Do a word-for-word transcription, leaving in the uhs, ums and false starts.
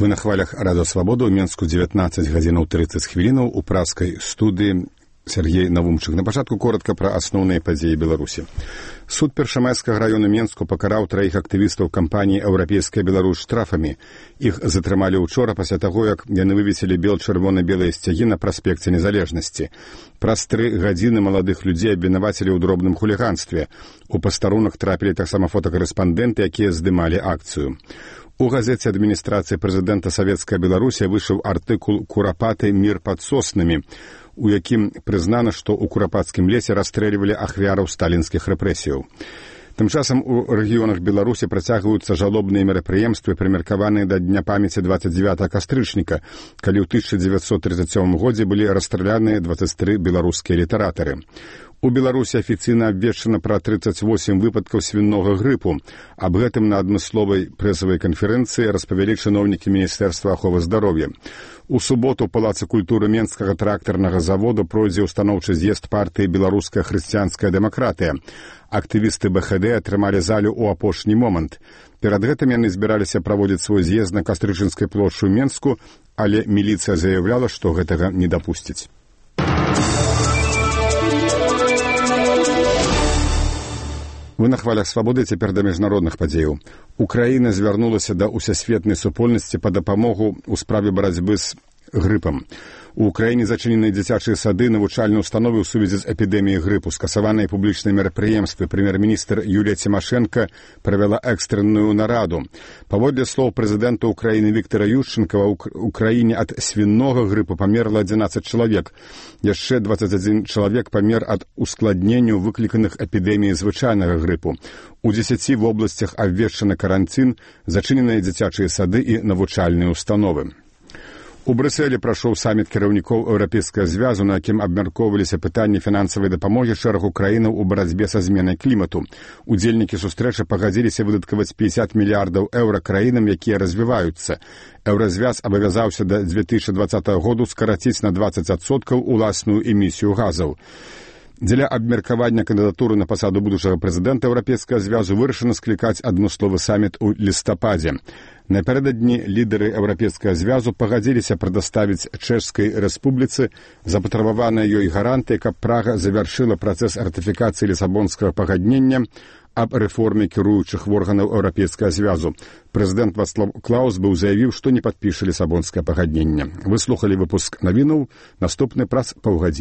Вы на хвалях Радио Свобода ў Менску дзевятнаццаць гадзінаў трыццаць хвілінаў у праскай студыі Сергей Навумчык. На пачатку коротка пра асноўныя падзеі Беларусі. Суд Першамайскага раёну Менску пакараў траіх актывістаў кампаніі «Еўрапейская Беларусь» штрафамі. Іх затрымалі ўчора пасля таго, як яны вывесілі бел-чырвона-белыя сцягі на праспекце Незалежнасці. Праз тры гадзіны маладых людзей абвінавацілі ў дробным хуліганстве. У пастарунак трапілі таксама фотакарэспандэнты, якія здымалі акцыю. У газеце адміністрацыі прэзідэнта Савецкая Беларусія выйшаў артыкул «Курапаты. Мір пад соснамі», у якім прызнана, што ў курапацкім лесе расстрэльвалі ахвяраў сталінскіх рэпрэсіяў. Тым часам у рэгіёнах Беларусі працягваюцца жалобныя мерапрыемствы, прымеркаваныя да Дня памяці дваццаць дзевятага кастрычніка, калі ў тысяча дзевяцьсот трыццаць сёмым годзе былі расстраляныя дваццаць тры беларускія літаратары. У Беларусі афіцыйна абвешчана пра трыццаць восем выпадкаў свіннога грыпу. Аб гэтым на адмысловай прэсавай канферэнцыі распавялі чыноўнікі Міністэрства аховы здароўя. У суботу ў Палацы культуры Менскага трактарнага завода пройдзе ўстаноўчы з'езд партыі «Беларуская хрысціянская дэмакратыя». Актывісты бэ ха дэ атрымалі залю ў апошні момант. Перад гэтым яны збіраліся праводзіць свой з'езд на Кастрычынскай плошчы ў Менску, але міліцыя заяўляла, што гэтага не дапусціць. Вы на хвалях свабоды, цяпер да міжнародных падзеяў. Украіна звярнулася да ўсесветнай супольнасці па дапамогу ў справе барацьбы з грыпам. У Украіне зачыненыя дзіцячыя сады, навучальныя ўстановы ў сувязі з эпідэміяй грыпу, скасаваныя публічныя мерапрыемствы. Прэм'ер-міністр Юлія Цімашэнка правяла экстранную нараду. Паводле слоў прэзідэнта Украіны Віктара Ющэнкава, у краіне ад свіннога грыпу памерла адзінаццаць чалавек. Яшчэ дваццаць адзін чалавек памер ад ускладненняў, выкліканых эпідэміяй звычайнага грыпу. У дзесяці вобласцях абвешчаны каранцін, зачыненыя дзіцячыя сады і навучальныя ўстановы. У Брюсселі прайшоў саміт кіраўнікоў Еўрапейскага звязу, на якім абмяркоўваліся пытанні фінансавай дапамогі шэрагу краінаў у барацьбе са зменай клімату. Удзельнікі сустрэчы пагадзіліся выдаткаваць пятьдесят мільярдаў еўра краінам, якія развіваюцца. Еўразвяз абавязаўся да две тысячи двадцатага году скараціць на двадцать адсоткаў уласную эмісію газаў. Дзеля абмеркавання кандыдатуры на пасаду будучага прэзідэнта Еўрапейскага звязу вырашана склікаць адмысловы саміт у лістападзе. Напярэдадні лідары Еўрапейскага звязу пагадзіліся прадаставіць Чэшскай рэспубліцы запатрабаваныя ёй гарантыі, каб Прага завяршыла працэс ратыфікацыі лісабонскага пагаднення аб рэформе кіруючых органаў Еўрапейскага звязу. Прэзідэнт Вацлаў Клаус быў заявіў, што не падпіша лісабонскае пагадненне. Вы слухалі выпуск навінаў, наступны праз паўгадзіны.